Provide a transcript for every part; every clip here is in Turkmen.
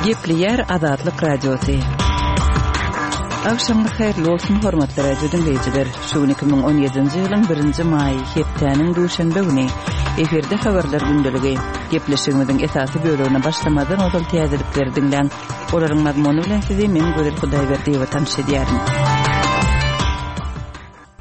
Gepleýär Azatlyk Radiosy. Agşamyňyz haýyrly bolsun, hormatly radio diňleýjiler. Şu gün 2017-nji ýylyň birinji maýy, hepdäniň duşenbe güni. Efirde habarlar gündeligi. Gepleşigimiziň esasy bölegine başlamazdan ozal täzelikleri diňläň. Olaryň mazmuny bilen sizi men Gözel Hudaýberdiýewa tanyş edýärin.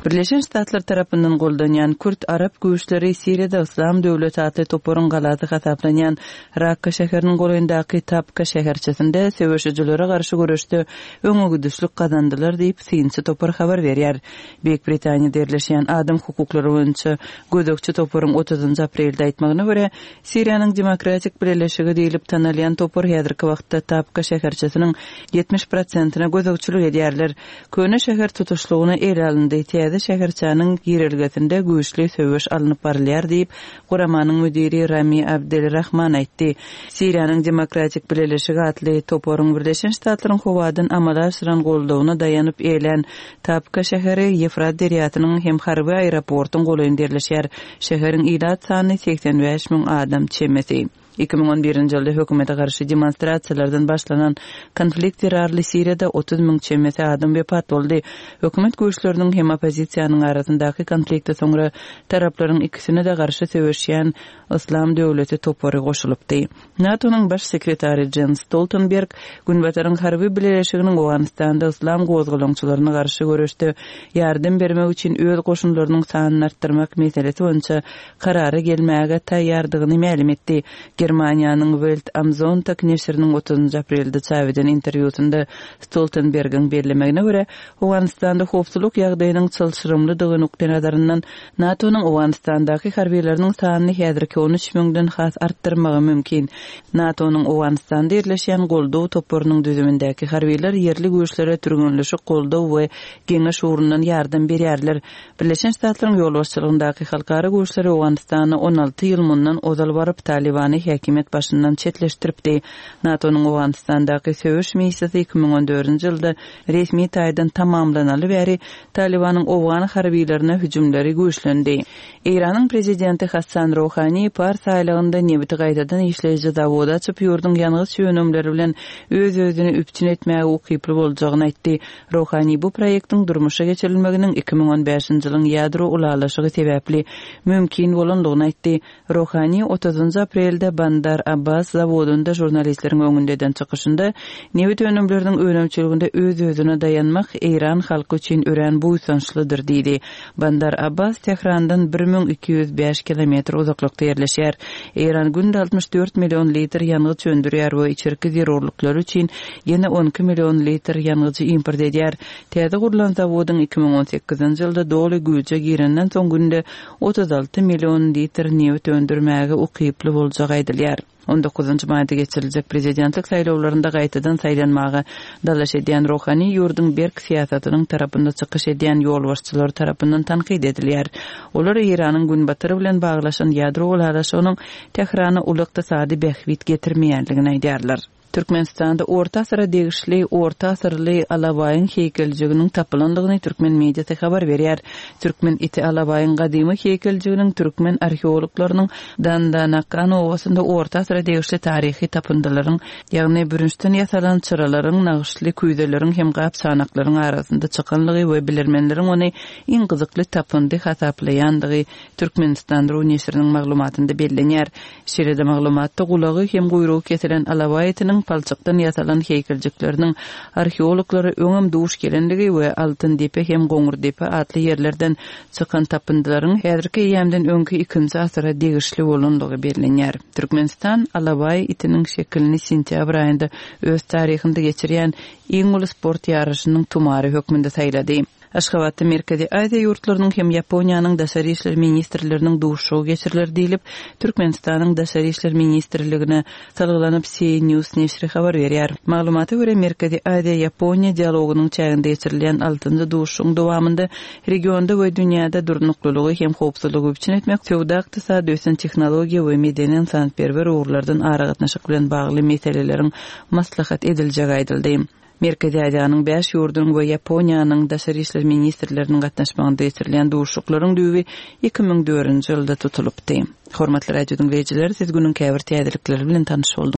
Birleşen Ştatlar tarapyndan goldanýan kürt-arap güýçleri Siriýada Yslam döwleti atly toparyň galasy hasaplanýan Rakka şäheriniň golaýyndaky Tabka şäherçesinde söweşijilere garşy göreşde öňegidişlik gazandylar diýip, synçy topar habar berýär. Beýik Britaniýada ýerleşýän adam hukuklary boýunça gözegçi toparyň otuzynjy aprelde aýtmagyna görä, Siriýanyň Demokratik Bileleşigi diýlip tanalýan topar häzirki wagtda Tabka şäherçesiniň 70 prosentine gözegçilik edýärler. Köne şäher tutuşlygyna ele alyndy, täze şäherçäniň girelgesinde güýçli söweş alnyp barylýar diýip, guramanyň müdiri Rami Abdel Rahman aýtdy. Siriýanyň Demokratik Bileleşigi atly toparyň Birleşen Ştatlaryň howadan amala aşyran goldawyna daýanyp eýelän Tabka şäheri Ýefrat derýasynyň hem harby aeroportyň golaýynda ýerleşýär. Şäheriň ilat sany 85 müň adam çemesi. 2011-nji ýylda hökümete garşy demonstrasiýalardan başlanan konflikt zerarly Siriýada 30 müň çemesi adam wepat boldy. Hökümet güýçleriniň hem oppozisiýanyň arasyndaky konflikte soňra taraplaryň ikisine-de garşy söweşýän Yslam döwleti topary goşulypdy. NATO-nyň Baş sekretary Jens Stoltenberg Günbataryň harby bileleşiginiň Owganystanda yslam gozgalaňçylaryna garşy göreşde ýardam bermek üçin öz goşunlarynyň sanyny artdyrmak meselesi boýunça karara gelmäge taýýardygyny mälim etdi. Germaniýanyň Welt am Sonntag neşiriniň otuzynjy aprelde çap eden interwýusynda Stoltenbergiň bellemegine görä, Owganystanda howpsuzlyk ýagdaýynyň çylşyrymlydygy nukdaýnazaryndan NATO-nyň Owganystandaky harbylarynyň sanyny häzirki 13 müňden has artdyrmagy mümkin. NATO-nyň Owganystanda ýerleşýän goldaw toparynyň düzümindäki harbylar ýerli güýçlere türgenleşik, goldaw we geňeş ugrundan ýardam berýärler. Birleşen Ştatlaryň ýolbaşçylygyndaky halkara güýçleri Owganystana 16 ýyl mundan ozal baryp, Talybany häkimiýet başyndan çetleşdiripdi. NATO-nyň Owganystandaky söweş missiýasy 2014-nji ýylda resmi taýdan tamamlanaly bäri Talybanyň owgan harbylaryna hüjümleri güýçlendi. Eýranyň prezidenti Hassan Rohani Pars aýlagynda nebiti gaýtadan işleýji zawody açyp, ýurduň ýangyç önümleri bilen öz-özüni üpjün etmäge ukyply boljagyny aýtdy. Rohani bu proýektiň durmuşa geçirilmeginiň 2015-nji ýylyň ýadro ylalaşygy sebäpli mümkin bolandygyny aýtdy. Rohani otuzynjy aprelde Bandar Abbas zawodynda žurnalistleriň öňünde eden çykyşynda, nebit önümleriniň önümçiliginde öz-özüne daýanmak eýran halky üçin örän buýsançlydyr diýdi. Bandar Abbas Tährandan 1205 kilometr uzaklykda ýerleşýär. Eýran günde 64 million litr ýangyç öndürýär we içerki zerurlyklary üçin ýene 12 million litr ýangyjy import edýär. Täze gurlan zawodyň 2018-nji ýylda doly güýje girenden soň günde 36 million litr nebit öndürmäge ukyply boljagy aýdylýar. On dokuzynjy maýda geçiriljek prezidentlik saýlawlarynda gaýtadan saýlanmaga dalaş edýän Rohani ýurduň berk syýasatynyň tarapynda çykyş edýän ýolbaşçylary tarapyndan tankyt edilýär. Olar Eýranyň Günbatar bilen baglaşan ýadro ylalaşygynyň Tährana uly ykdysady bähbit getirmeýändigini aýdýarlar. Türkmenistanda orta asyra degişli orta asyrly alabaýyň heýkeljiginiň tapylandygyny türkmen mediasy habar berýär. Türkmen iti alabaýyň gadymy heýkeljiginiň türkmen arheologlarynyň Dandanakan obasynda orta asyra degişli taryhy tapyndylaryň, ýagny bürünçden ýasalan çyralaryň, nagyşly küýzeleriň hem gap-çanaklaryň arasynda çykanlygy we bilermenleriň ony iň gyzykly tapyndy hasaplaýandygy Türkmenistan. Ru neşiriniň maglumatynda bellenýär. Şeýle-de maglumatda gulagy hem guýrugy kesilen alabaý itiniň palçykdan ýasalan heýkeljikleriniň arheologlara öňem duş gelendigi we Altyndepe hem Goňurdepe atly ýerlerden çykan tapyndylaryň häzirki eýýamdan öňki ikinji asyra degişli bolandygy bellenýär. Türkmenistan alabaý itiniň şekilini sentýabr aýynda öz taryhynda geçirýän iň uly sport ýaryşynyň tumary hökmünde saýlady. Aşgabatda Merkezi Aziýa ýurtlarynyň hem Ýaponiýanyň daşary işler ministrleriniň duşuşygy geçiriler diýlip, Türkmenistanyň Daşary işler ministrligine salgylanyp CNews neşiri habar berýär. Maglumata görä, Merkezi Aziýa-Ýaponiýa dialogynyň çäginde geçirilýän altynjy duşuşygyň dowamynda regionda we dünýäde durnuklylygy hem howpsuzlygy üpjün etmek, söwda-ykdysady, ösen tehnologiýa we medeni-ynsanperwer ugurlardan aragatnaşyk bilen bagly meseleleriň maslahat ediljegi aýdyldy. Merkezi Aziýanyň bäş ýurdunyň we Ýaponiýanyň daşary işler ministrleriniň gatnaşmagynda geçirilýän duşuşyklaryň düýbi 2004-nji ýylda tutulypdy. Hormatly radio diňleýjiler, siz günüň käbir täzelikleri bilen tanyş bolduňyz.